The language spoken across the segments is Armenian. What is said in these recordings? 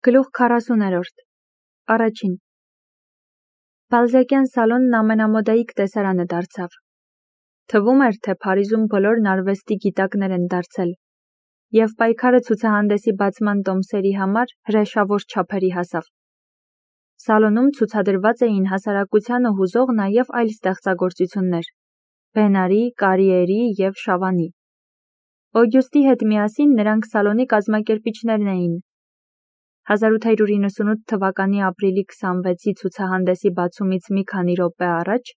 Գլուխ 40-րդ Առաջին Բալզակյան սալոնն ամենամոդայիկ տեսարանը դարձավ։ Թվում էր, թե Փարիզում բոլորն արվեստի գիտակներ են դարձել, և պայքարը ցուցահանդեսի բացման տոմսերի համար հրեշավոր չափերի հասավ։ Սալոնում ցուցադրված էին հասարակությանը հուզող նաև այլ ստեղծագործություններ՝ Բենարի, Կարիերի և Շավանի։ Օգյուստի հետ միասին նրանք սալոնի կազմակերպիչներն էին։ 1898 թվականի ապրիլի 26-ի ցուցահանդեսի բացումից մի քանի րոպե առաջ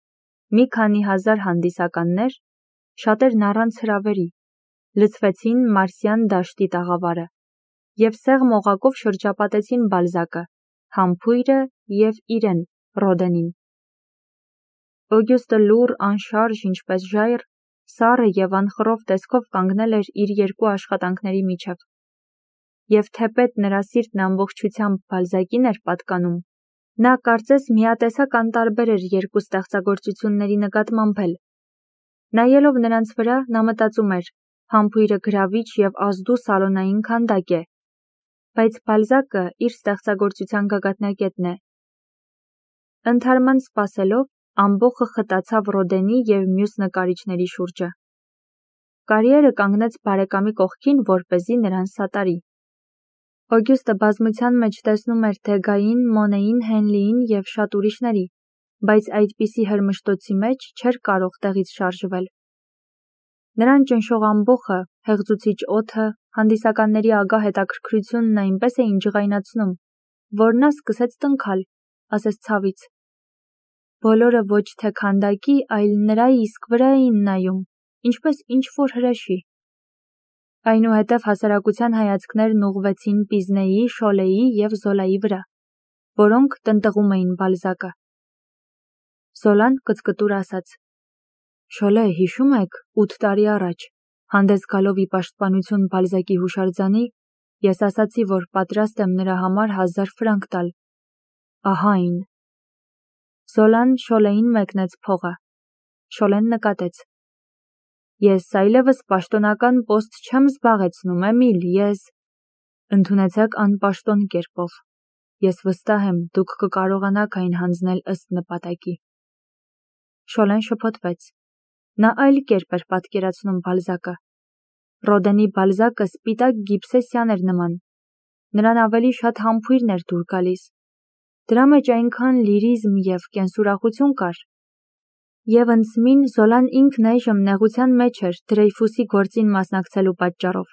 մի քանի հազար հանդիսականներ, շատերն առանց հրավերի, լցվեցին Մարսյան դաշտի տաղավարը և սեղմ օղակով շրջապատեցին Բալզակը, համբույրը և իրեն՝ Ռոդենին։ Օգյուստը լուռ, անշարժ, ինչպես ժայռ, սառը և անխռով տեսքով կանգնել էր իր երկու աշխատանքների միջև։ Եվ թեպետ նրա սիրտն ամբողջությամբ Բալզակին էր պատկանում, նա կարծես միատեսակ անտարբեր էր երկու ստեղծագործությունների նկատմամբ էլ։ Նայելով նրանց վրա, նա մտածում էր, համբույրը գրավիչ և ազդու սալոնային քանդակ է, բայց Բալզակը իր ստեղծագործության գագաթնակետն է։ Ընդհարման սպասելով, ամբոխը խտացավ Ռոդենի և մյուս նկարիչների շուրջը։ Կարիերը կանգնեց բարեկամի կողքին, որպեսզի նրան սատարի։ Օգյուստը բազմության մեջ տեսնում էր Դեգային, Մոնեին, Հենլիին և շատ ուրիշների, բայց այդպիսի հրմշտոցի մեջ չէր կարող տեղից շարժվել։ Նրան ճնշող ամբոխը, հեղձուցիչ օդը, հանդիսականների ագահ հետաքրքրությունն այնպես էին ջղայնացնում, որ նա սկսեց տնքալ, ասես ցավից։ Բոլորը ոչ թե քանդակի, այլ նրա իսկ վրա էին նայում, ինչպես ինչ-որ հրեշի։ Այնուհետև հասարակության հայացքներն ուղղվեցին Պիզնեի, Շոլեի և Զոլայի վրա, որոնք տնտղում էին Բալզակը։ Զոլան կծկտուր ասաց. «Շոլե, հիշում եք, 8 տարի առաջ, հանդես գալով ի պաշտպանություն Բալզակի հուշարձանի, ես ասացի, որ պատրաստ եմ նրա համար 1000 ֆրանկ տալ։ Ահա այն»։ Զոլան Շոլեին մեկնեց փողը։ Շոլեն նկատեց. «Ես այլևս պաշտոնական պոստ չեմ զբաղեցնում, Էմիլ, ես… Ընդունեցեք անպաշտոն կերպով։ Ես վստահ եմ, դուք կկարողանաք այն հանձնել ըստ նպատակի»։ Շոլեն շփոթվեց։ Նա այլ կերպ էր պատկերացնում Բալզակը։ Ռոդենի Բալզակը սպիտակ գիբսեսյան էր նման։ Նրան ավելի շատ համբույրն էր դուր գալիս։ Դրա մեջ այնքան լիրիզմ և կենսուրախություն կար։ Եվ ընդսմին Զոլան ինքն այժմ նեղության մեջ էր Դրեյֆուսի գործին մասնակցելու պատճառով։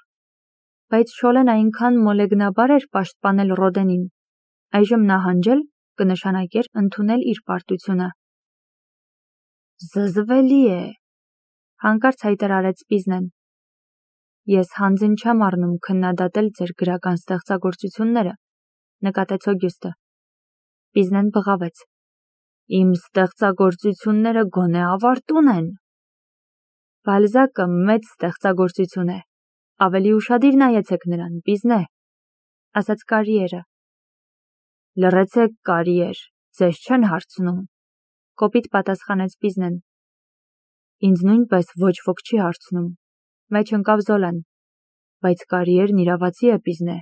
Բայց Շոլեն այնքան մոլեգնաբար էր պաշտպանել Ռոդենին, այժմ նահանջել կնշանակեր ընդունել իր պարտությունը։ «Զզվելի է», հանկարծ հայտարարեց Պիզնեն։ «Ես հանձն չեմ առնում քննադատել ձեր գրական ստեղծագործությունները», նկատեց Օգյուստը։ Պիզնեն բղավեց. «Իմ ստեղծագործությունները գոնե ավարտուն են»։ Բալզակը մեծ ստեղծագործություն է։ Ավելի ուշադիր նայեցեք նրան, Պիզնե, ասաց Կարիերը։ Լռեցեք, Կարիեր, ձեզ չեն հարցնում, կոպիտ պատասխանեց Պիզնեն։ Ինձ նույնպես ոչ ոք չի հարցնում, մեջ ընկավ Զոլան։ Բայց Կարիերն իրավացի է, Պիզնե,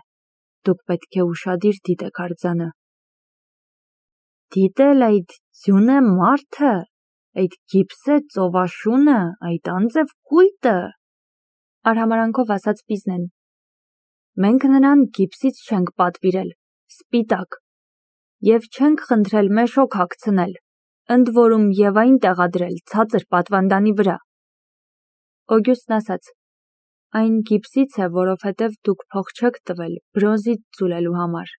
դուք պետք է ուշադիր դիտեք արձանը։ Դիտել այդ ձյունե մարդը, այդ գիպսե ծովաշունը, այդ անձև կույտը, արհամարանքով ասաց Պիզնեն։ Մենք նրան գիպսից չենք պատվիրել, սպիտակ, և չենք խնդրել մեշոք հագցնել, ընդ որում և այն տեղադրել ցածր պատվանդանի վրա։ Օգյուստն ասաց. Այն գիպսից է, որովհետև դուք փող չեք տվել բրոնզից ձուլելու համար։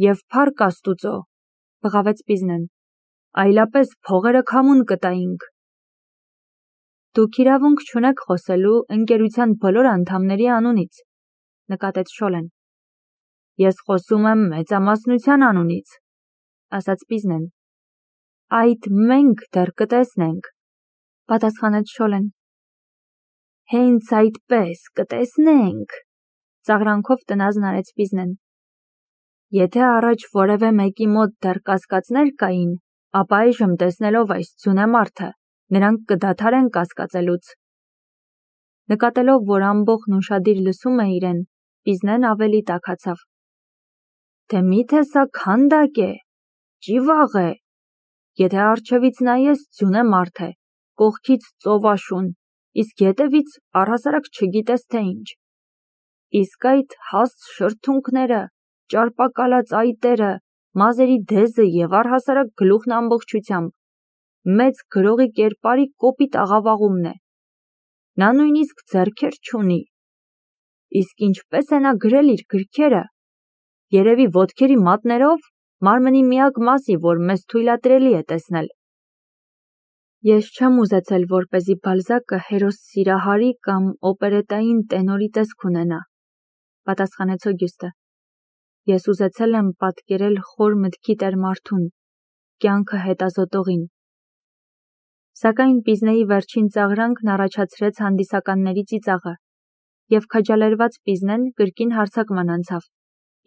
Եվ փառք Աստուծո, բղավեց Պիզնեն, այլապես փողերը քամուն կտայինք։ Դուք իրավունք չունեք խոսելու ընկերության բոլոր անդամների անունից, նկատեց Շոլեն։ Ես խոսում եմ մեծամասնության անունից, ասաց Պիզնեն։ Այդ մենք դեռ կտեսնենք, պատասխանեց Շոլեն։ Հենց այդպես կտեսնենք, ծաղրանքով տնազն արեց Պիզնեն։ Եթե առաջ որևէ մեկի մոտ դեռ կասկածներ կային, ապա այժմ տեսնելով այս ձյունե մարդը, նրանք կդադարեն կասկածելուց։ Նկատելով, որ ամբոխն ուշադիր լսում է իրեն, Պիզնեն ավելի տաքացավ։ թե միթե սա քանդակ է, ճիվաղ է, եթե առջևից նայես ձյուն է մարդ է, կողքից ծովաշուն, իսկ ետևից առհասարակ չգիտես թե ինչ, իսկ այդ հաստ շրթունքները, ճարպակալած այտերը, մազերի դեզը և առհասարակ գլուխն ամբողջությամբ, մեծ գրողի կերպարի կոպիտ աղավաղումն է, նա նույնիսկ ձեռքեր չունի, իսկ ինչպես է նա գրել իր գրքերը, երևի ոտքերի մատներով, մարմնի միակ մասի, որ մեզ թույլատրելի է տեսնել։ Ես չեմ ուզեցել, որպեսզի Բալզակը հերոս սիրահարի կամ օպերետային տենորի տեսք ունենա, պատասխանեց Օգյուստը։ Ես ուզեցել եմ պատկերել խոր մտքի տեր մարդուն, կյանքը հետազոտողին։ Սակայն Պիզնեի վերջին ծաղրանքն առաջացրեց հանդիսականների ծիծաղը, և քաջալերված Պիզնեն կրկին հարձակման անցավ,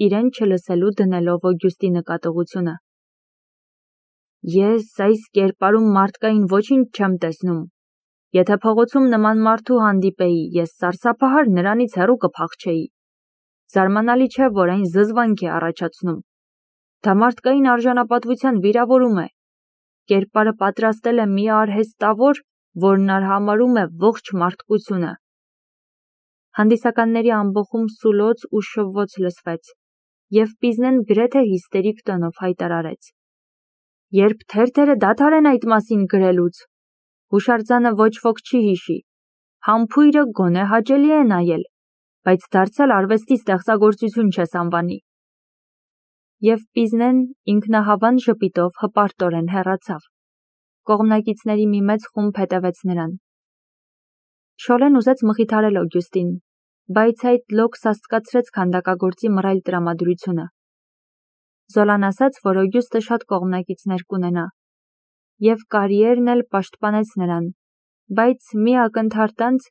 իրեն չլսելու դնելով Օգյուստի նկատողությունը։ Ես այս կերպարում մարդկային ոչինչ չեմ տեսնում։ Եթե փողոցում նման մարդու հանդիպեի, ես սարսափահար նրանից հեռու կփախչեի։ Զարմանալի չէ, որ այն զզվանք է առաջացնում։ Դա մարդկային արժանապատվության վիրավորում է։ Կերպարը պատրաստել է մի արհեստավոր, որն արհամարհում է ողջ մարդկությունը։ Հանդիսականների ամբոխում սուլոց ու շվոց լսվեց, և Պիզնեն գրեթե հիստերիկ տոնով հայտարարեց. Երբ թերթերը դադարեն այդ մասին գրելուց, հուշարձանը ոչ ոք չի հիշի, համբույրը գոնե հաճելի է նայել, բայց դարձյալ արվեստի ստեղծագործություն չես անվանի։ Եվ Պիզնեն ինքնահավան ժպիտով հպարտորեն հեռացավ։ Կողմնակիցների մի մեծ խումբ հետևեց նրան։ Շոլեն ուզեց մխիթարել Օգյուստին, բայց այդ լոկ սաստկացրեց քանդակագործի մռայլ տրամադրությունը։ Զոլան ասաց, որ Օգյուստը շատ կողմնակիցներ կունենա, և Կարիերն էլ պաշտպանեց նրան, բայց մի ակնթարթ անց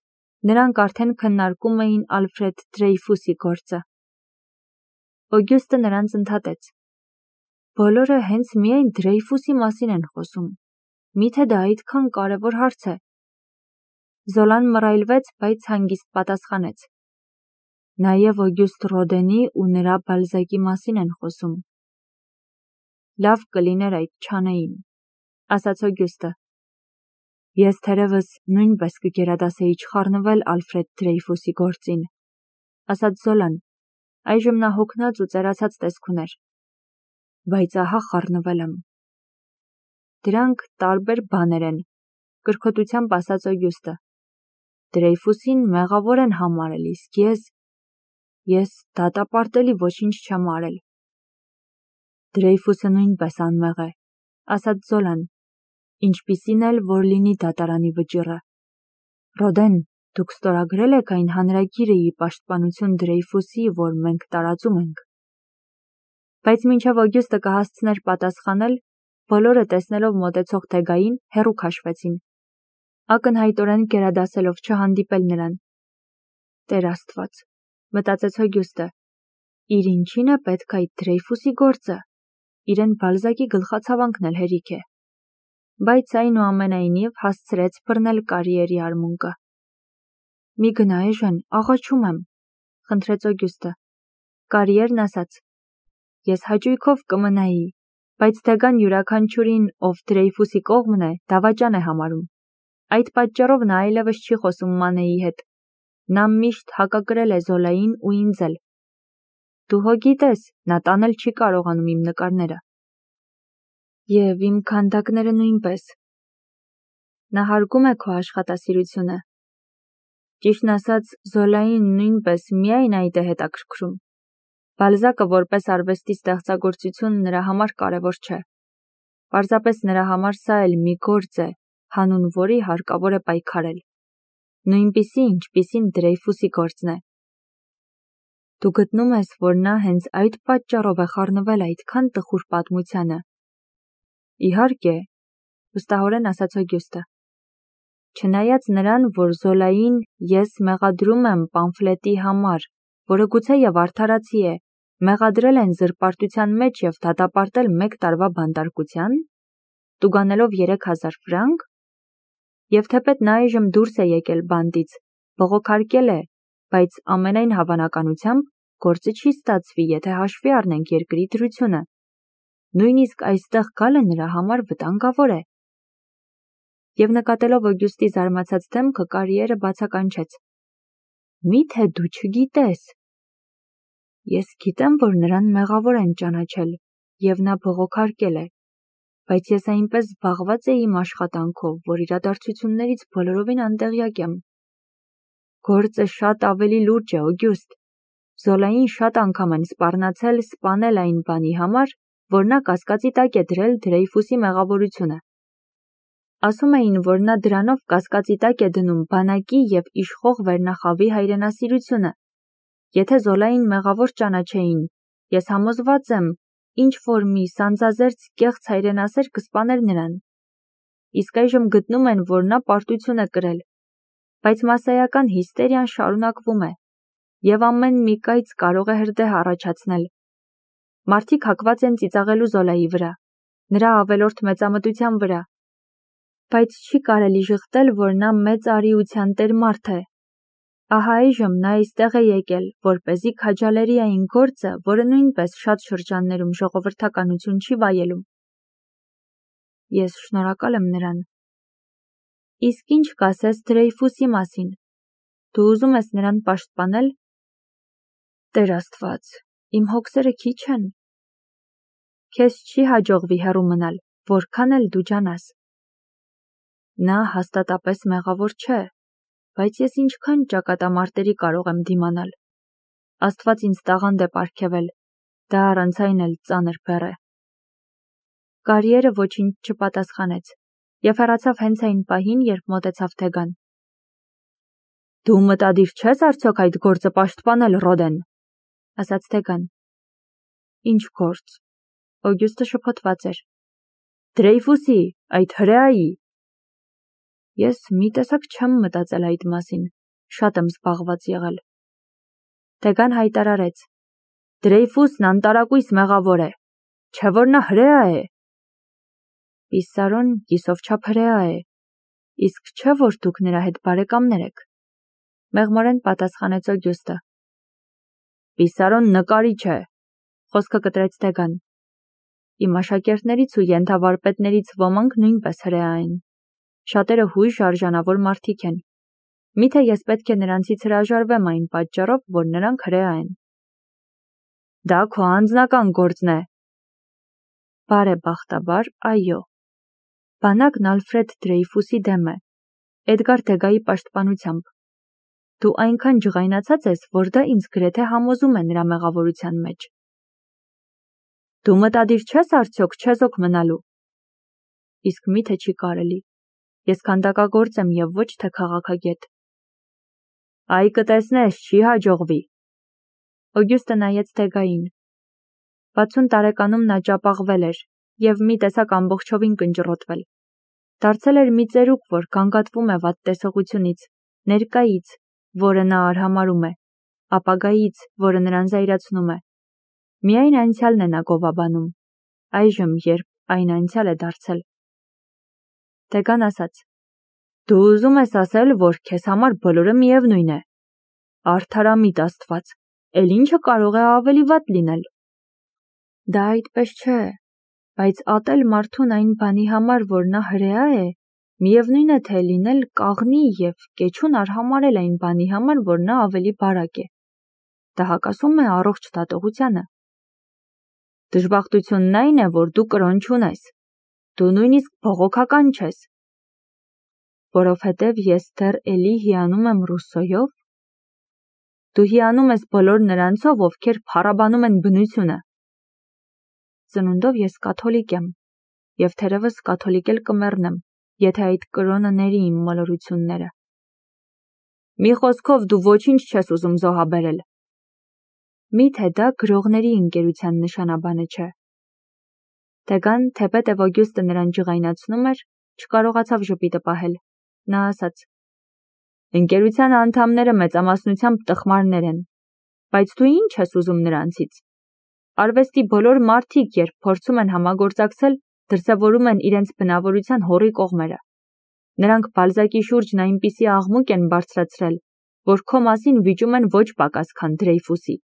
նրանք արդեն քննարկում էին Ալֆրեդ Դրեյֆուսի գործը։ Օգյուստը նրանց ընդհատեց. Բոլորը հենց միայն Դրեյֆուսի մասին են խոսում, միթե դա այդքան կարևոր հարց է։ Զոլան մռայլվեց, բայց հանգիստ պատասխանեց. Նաև Օգյուստ Ռոդենի ու նրա Բալզակի մասին են խոսում։ Լավ կլիներ այդ չանեին, ասաց Օգյուստը։ Ես թերևս նույնպես կգերադասեի չխառնվել Ալֆրեդ Դրեյֆուսի գործին, ասաց Զոլան, այժմ նա հոգնած ու ծերացած տեսք ուներ։ Բայց ահա խառնվել եմ։ Դրանք տարբեր բաներ են, կրկոտությամբ ասաց Օգյուստը։ Դրեյֆուսին մեղավոր են համարել, իսկ ես դատապարտելի ոչինչ չեմ արել։ Դրեյֆուսը նույնպես անմեղ է, ասաց Զոլան, ինչպիսին էլ որ լինի դատարանի վճիռը։ Ռոդեն, դուք ստորագրել եք այն հանրագիրը ի պաշտպանություն Դրեյֆուսի, որ մենք տարածում ենք։ Բայց մինչև Օգյուստը կհասցներ պատասխանել, բոլորը տեսնելով մոտեցող Թեգային հեռու քաշվեցին, ակնհայտորեն գերադասելով չհանդիպել նրան։ Տեր Աստված, մտածեց Օգյուստը, իր ինչին է պետք այդ Դրեյֆուսի գործը, իրեն Բալզակի գլխացավանքն էլ հերիք է։ Բայց այնուամենայնիվ հասցրեց բռնել Կարիերի արմունկը։ Մի գնա Էժեն, աղաչում եմ, խնդրեց Օգյուստը։ Կարիերն ասաց. Ես հաճույքով կմնայի, բայց Թեգան յուրաքանչյուրին, ով Դրեյֆուսի կողմն է, դավաճան է համարում։ Այդ պատճառով նա այլևս չի խոսում Մանեի հետ։ Նա միշտ հակակրել է Զոլային ու ինձ էլ։ Դու հո գիտես, նա տանել չի կարողանում իմ նկարները։ Եվ իմ քանդակները նույնպես։ Նա հարգում է քո աշխատասիրությունը։ Ճիշտն ասած, Զոլային նույնպես միայն այդ է հետաքրքրում։ Բալզակը որպես արվեստի ստեղծագործություն նրա համար կարևոր չէ։ Պարզապես նրա համար սա էլ մի գործ է, հանուն որի հարկավոր է պայքարել։ Նույնպիսի, ինչպիսին Դրեյֆուսի գործն է։ Դու գտնում ես, որ նա հենց այդ պատճառով է խառնվել այդքան տխուր պատմությանը։ Իհարկե, վստահորեն ասաց Օգյուստը։ Չնայած նրան, որ Զոլային ես մեղադրում եմ պամֆլետի համար, որը գուցեև արդարացի է, մեղադրել են զրպարտության մեջ և դատապարտել 1 տարվա բանտարկության, տուգանելով 3000 ֆրանկ, և թեպետ նա այժմ դուրս է եկել բանտից, բողոքարկել է, բայց ամենայն հավանականությամբ գործը չի ստացվի, եթե հաշվի առնենք երկրի դրությունը։ Նույնիսկ այստեղ գալը նրա համար վտանգավոր է։ Եվ նկատելով Օգյուստի զարմացած դեմքը, Կարիերը բացականչեց. Միթե դու չգիտես։ Ես գիտեմ, որ նրան մեղավոր են ճանաչել, և նա բողոքարկել է, բայց ես այնպես զբաղված էի իմ աշխատանքով, որ իրադարձություններից բոլորովին անտեղյակ եմ։ Գործը շատ ավելի լուրջ է, Օգյուստ։ Զոլային շատ անգամ են սպառնացել սպանել այն բանի համար, որ նա կասկածի տակ է դրել Դրեյֆուսի մեղավորությունը։ Ասում էին, որ նա դրանով կասկածի տակ է դնում բանակի և իշխող վերնախավի հայրենասիրությունը։ Եթե Զոլային մեղավոր ճանաչեին, ես համոզված եմ, ինչ-որ մի սանձազերծ կեղծ հայրենասեր կսպաներ նրան։ Իսկ այժմ գտնում են, որ նա պարտություն է կրել, բայց մասսայական հիստերիան շարունակվում է, և ամեն մի կայծ կարող է հրդեհ առաջացնել։ Մարդիկ հակված են ծիծաղելու Զոլայի վրա, նրա ավելորդ մեծամտության վրա, բայց չի կարելի ժխտել, որ նա մեծ արիության տեր մարդ է։ Ահա այժմ նա այստեղ է եկել, որպեսզի քաջալերի այն գործը, որը նույնպես շատ շրջաններում ժողովրդականություն չի վայելում։ Ես շնորհակալ եմ նրան։ Իսկ ինչ կասես Դրեյֆուսի մասին։ Դու ուզում ես նրան պաշտպանել։ Տեր Աստված, իմ հոգսերը քիչ են։ Քեզ չի հաջողվի հեռու մնալ, որքան էլ դու ջանաս։ Նա հաստատապես մեղավոր չէ, բայց ես ինչքան ճակատամարտերի կարող եմ դիմանալ։ Աստված ինձ տաղանդ է պարգևել, դա առանց այն էլ ծանր բեռ է։ Կարիերը ոչինչ չպատասխանեց և հեռացավ հենց այն պահին, երբ մոտեցավ Թեգան։ Դու մտադիր չես արդյոք այդ գործը պաշտպանել, Ռոդեն, ասաց Թեգան։ Ինչ գործ։ Օգյուստը շփոթված էր։ Դրեյֆուսի, այդ հրեայի։ Ես մի տեսակ չեմ մտածել այդ մասին, շատ եմ զբաղված եղել։ Թեգան հայտարարեց. Դրեյֆուսն անտարակույս մեղավոր է, չէ որ նա հրեա է։ Պիսարոն կիսովչափ հրեա է, իսկ չէ որ դուք նրա հետ բարեկամներ եք։ Մեղմորեն պատասխանեց Օգյուստը։ Պիսարոն նկարիչ է, խոսքը կտրեց Թեգան։ Իմ աշակերտներից ու ենթավարպետներից ոմանք նույնպես հրեա են։ Շատերը հույժ արժանավոր մարդիկ են։ Միթե ես պետք է նրանցից հրաժարվեմ այն պատճառով, որ նրանք հրեա են։ Դա քո անձնական գործն է։ Բարեբախտաբար, այո։ Բանակն Ալֆրեդ Դրեյֆուսի դեմ է, Էդգար Թեգայի պաշտպանությամբ։ Դու այնքան ջղայնացած ես, որ դա ինձ գրեթե համոզում է նրա մեղավորության մեջ։ Դու մտադիր չես արդյոք չեզոք մնալու։ Իսկ միթե չի կարելի։ Ես քանդակագործ եմ և ոչ թե քաղաքագետ։ Այ կտեսնես, չի հաջողվի։ Օգյուստը նայեց Թեգային։ 60 տարեկանում նա ճապաղվել էր և մի տեսակ ամբողջովին կնճռոտվել։ Դարձել էր մի ծերուկ, որ գանգատվում է վատ տեսողությունից, ներկայից, որը նա արհամարհում է, ապագայից, որը նրան զայրացնում է։ Միայն անցյալն է նա գովաբանում, այժմ, երբ այն անցյալ է դարձել։ Թեգան ասաց. Դու ուզում ես ասել, որ քեզ համար բոլորը միևնույն է։ Արդարամիտ Աստված, էլ ինչը կարող է ավելի վատ լինել։ Դա այդպես չէ, բայց ատել մարդուն այն բանի համար, որ նա հրեա է, միևնույն է թե լինել կաղնի և կեչուն արհամարհել այն բանի համար, որ նա ավելի բարակ է։ Դա հակասում է առողջ դատողությանը։ Դժբախտությունն այն է, որ դու կրոն չունես։ Դու նույնիսկ բողոքական չես։ Որովհետև ես դեռ էլի հիանում եմ Ռուսոյով։ Դու հիանում ես բոլոր նրանցով, ովքեր փառաբանում են բնությունը։ Ծնունդով ես կաթոլիկ եմ, և թերևս կաթոլիկ էլ կմեռնեմ, եթե այդ կրոնը ների իմ մոլորությունները։ Մի խոսքով դու ոչինչ չես ուզում զոհաբերել։ Միթե դա գրողների ընկերության նշանաբանը չէ։ Թեգան, թեպետև Օգյուստը նրան ջղայնացնում էր, չկարողացավ ժպիտը պահել։ Նա ասաց. Ընկերության անդամները մեծամասնությամբ տխմարներ են, բայց դու ինչ ես ուզում նրանցից։ Արվեստի բոլոր մարդիկ, երբ փորձում են համագործակցել, դրսևորում են իրենց բնավորության հոռի կողմերը։ Նրանք Բալզակի շուրջն այնպիսի աղմուկ են բարձրացրել, որ քո մասին վիճում են ոչ պակաս, քան Դրեյֆուսի։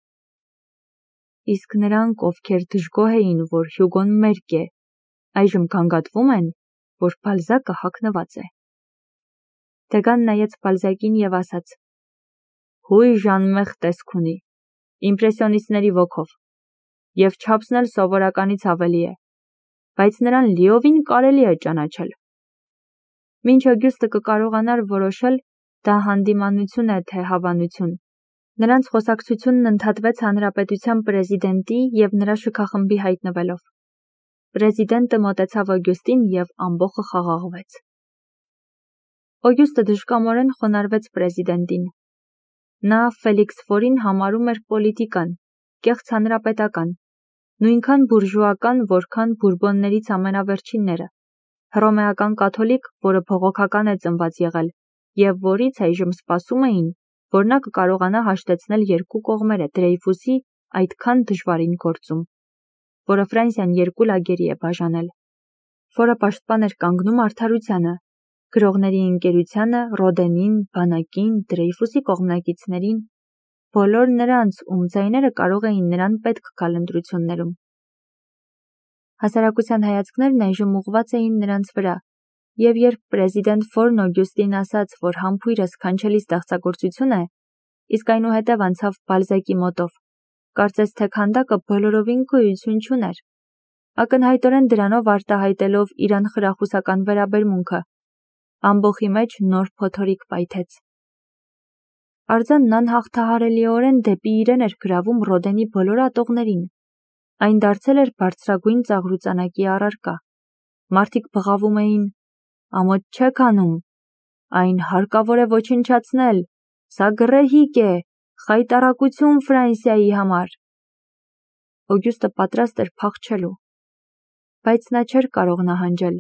Իսկ նրանք, ովքեր դժգոհ էին, որ Հյուգոն մերկ է, այժմ գանգատվում են, որ Բալզակը հագնված է։ Դեգան նայեց Բալզակին եւ ասաց. «Հույժ անմեղ տեսք ունի, իմպրեսիոնիստների ոգով, եւ չափսն էլ սովորականից ավելի է, բայց նրան լիովին կարելի է ճանաչել»։ Մինչ Օգյուստը կկարողանար որոշել, դա հանդիմանություն է, թե հավանություն։ Նրանց խոսակցությունն ընդհատվեց հանրապետության պրեզիդենտի եւ նրա շքախմբի հայտնվելով։ Պրեզիդենտը մոտեցավ Օգյուստին եւ ամբոխը խաղաղվեց։ Օգյուստը դժկամորեն խոնարհվեց պրեզիդենտին։ Նա Ֆելիքս Ֆորին համարում էր պոլիտիկան, կեղծ հանրապետական, նույնքան բուրժուական, որքան բուրբոններից ամենավերջինները, հռոմեական կաթոլիկ, որը բողոքական է ծնված եղել, եւ որից այժմ սպասում էին, որ նա կկարողանա հաշտեցնել երկու կողմերը Դրեյֆուսի այդքան դժվարին գործում, որը Ֆրանսիան երկու լագերի է բաժանել, որը պաշտպան էր կանգնում արդարությանը, գրողների ընկերությանը, Ռոդենին, բանակին, Դրեյֆուսի կողմնակիցներին, բոլոր նրանց, ում ձայները կարող էին նրան պետք գալ ընտրություններում։ Հասարակության հայացքներն այժմ ուղղված էին նրանց վրա, եւ երբ պրեզիդենտ Ֆորն Օգյուստին ասաց, որ համբույրը սքանչելի ստեղծագործություն է, իսկ այնուհետև անցավ Բալզակի մոտով, կարծես թե քանդակը բոլորովին գոյություն չուներ, ակնհայտորեն դրանով արտահայտելով իր անխրախուսական վերաբերմունքը, ամբոխի մեջ նոր փոթորիկ պայթեց։ Արձանն անհաղթահարելիորեն դեպի իրեն էր գրավում Ռոդենի բոլոր ատողներին։ Այն դարձել էր բարձրագույն ծաղրուծանակի առարկա։ Մարդիկ բղավում էին. «Ամոթ չեք անում, այն հարկավոր է ոչնչացնել, սա գռեհիկ է, խայտառակություն Ֆրանսիայի համար»։ Օգյուստը պատրաստ էր փախչելու, բայց նա չէր կարող նահանջել,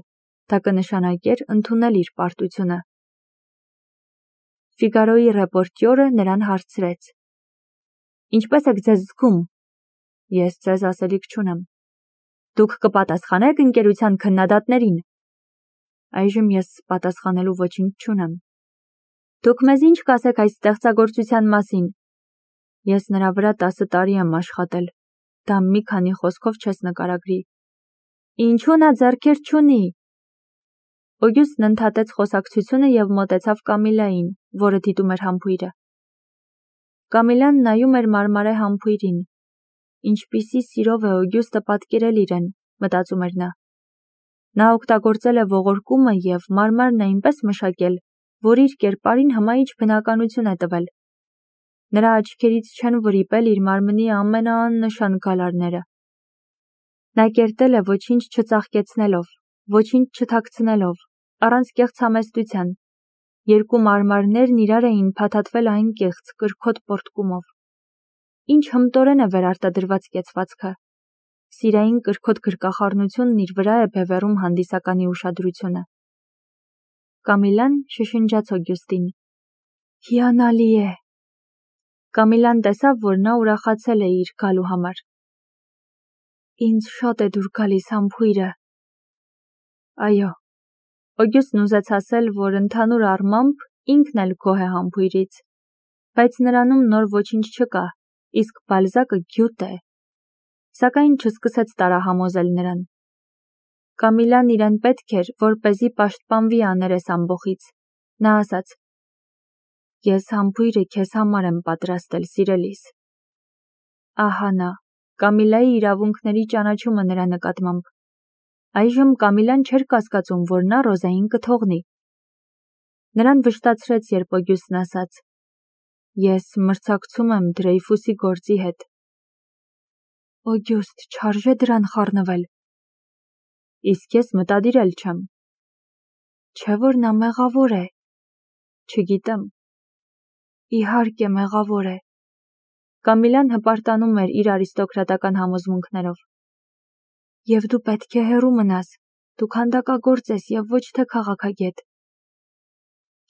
դա կնշանակեր ընդունել իր պարտությունը։ Ֆիգարոյի ռեպորտյորը նրան հարցրեց. «Ինչպես եք ձեզ զգում»։ «Ես ձեզ ասելիք չունեմ»։ «Դուք կպատասխանեք ընկերության քննադատներին»։ «Այժմ ես պատասխանելու ոչինչ չունեմ»։ «Դուք մեզ ինչ կասեք այս ստեղծագործության մասին»։ «Ես նրա վրա 10 տարի եմ աշխատել, դա մի քանի խոսքով չես նկարագրի»։ «Ինչու նա ձեռքեր չունի»։ Օգյուստն ընդհատեց խոսակցությունը եւ մոտեցավ Կամիլային, որը դիտում էր համբույրը։ Կամիլան նայում էր մարմարե համբույրին։ Ինչպիսի սիրով է Օգյուստը պատկերել իրեն, մտածում էր նա։ Նա օգտագործել է ողորկումը եւ մարմարն այնպես մշակել, որ իր կերպարին հմայիչ բնականություն է տվել։ Նրա աչքերից չեն վրիպել իր մարմնի ամենաաննշան գալարները։ Նա կերտել է ոչինչ չծաղկեցնելով, ոչինչ չթաքցնելով, առանց կեղծ համեստության։ Երկու մարմարներն իրար էին փաթաթվել անկեղծ, կրքոտ պոռթկումով։ Ինչ հմտորեն է վերարտադրված կեցվածքը։ Սիրային կրքոտ գրկախառնությունն իր վրա է բևեռում հանդիսականի ուշադրությունը։ Կամիլան շշնջաց Օգյուստին. «Հիանալի է»։ Կամիլան տեսավ, որ նա ուրախացել է իր գալու համար։ «Ինձ շատ է դուր գալիս համբույրը»։ Այո։ Օգյուստն ուզեց ասել, որ ընդհանուր առմամբ ինքն էլ գոհ է համբույրից, բայց նրանում նոր ոչինչ չկա, իսկ Բալզակը գյուտ է։ Սակայն չսկսեց տարահամոզել նրան։ Կամիլան իրեն պետք էր, որպեսզի պաշտպանվի աներես ամբոխից։ Նա ասաց. «Ես համբույրը քեզ համար եմ պատրաստել, սիրելիս»։ Ահա նա, Կամիլայի իրավունքների ճանաչումը նրա նկատմամբ։ Այժմ Կամիլան չէր կասկածում, որ նա Ռոզային կթողնի։ Նրան վշտացրեց, երբ Օգյուստն ասաց. «Ես մրցակցում եմ Դրեյֆուսի գործի հետ»։ Օգյուստ, չարժե դրան խառնվել։ Իսկ ես մտադիր էլ չեմ։ Չէ՞ որ նա մեղավոր է։ Չգիտեմ։ Իհարկե մեղավոր է։ Կամիլան հպարտանում էր իր արիստոկրատական համոզմունքներով։ Եվ դու պետք է հեռու մնաս, դու քանդակագործ ես եւ ոչ թե քաղաքագետ։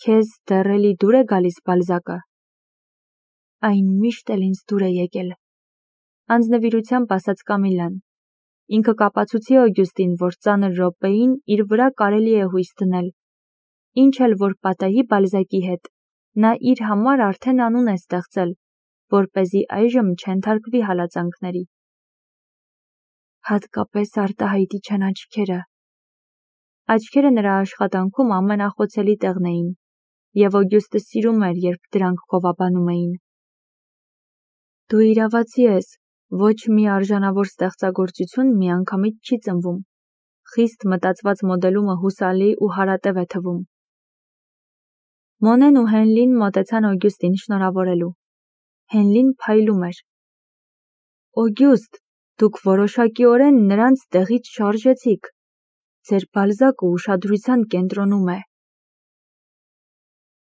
Քեզ դեռ էլի դուր է գալիս Բալզակը։ Այն միշտ էլ ինձ դուր է եկել։ Անձնվիրությամբ ասաց Կամիլան։ Ինքը կապացուցի Օգյուստին, որ ծանր րոպեին իր վրա կարելի է հույս դնել։ Ինչ էլ որ պատահի Բալզակի հետ, նա իր համար արդեն անուն է ստեղծել, որպեսզի այժմ չենթարկվի հալածանքների։ Հատկապես արտահայտիչ են աչքերը։ Աչքերը նրա աշխատանքում ամենախոցելի տեղն էին, և Օգյուստը սիրում էր, երբ դրանք գովաբանում էին։ Դու իրավացի ես, ոչ մի արժանավոր ստեղծագործություն միանգամից չի ծնվում։ Խիստ մտածված մոդելումը հուսալի ու հարատև է թվում։ Մոնեն ու Հենլին մոտեցան Օգյուստին շնորհավորելու։ Հենլին փայլում էր։ Օգյուստ, դուք որոշակիորեն նրանց տեղից շարժեցիք։ Ձեր Բալզակը ուշադրության կենտրոնում է։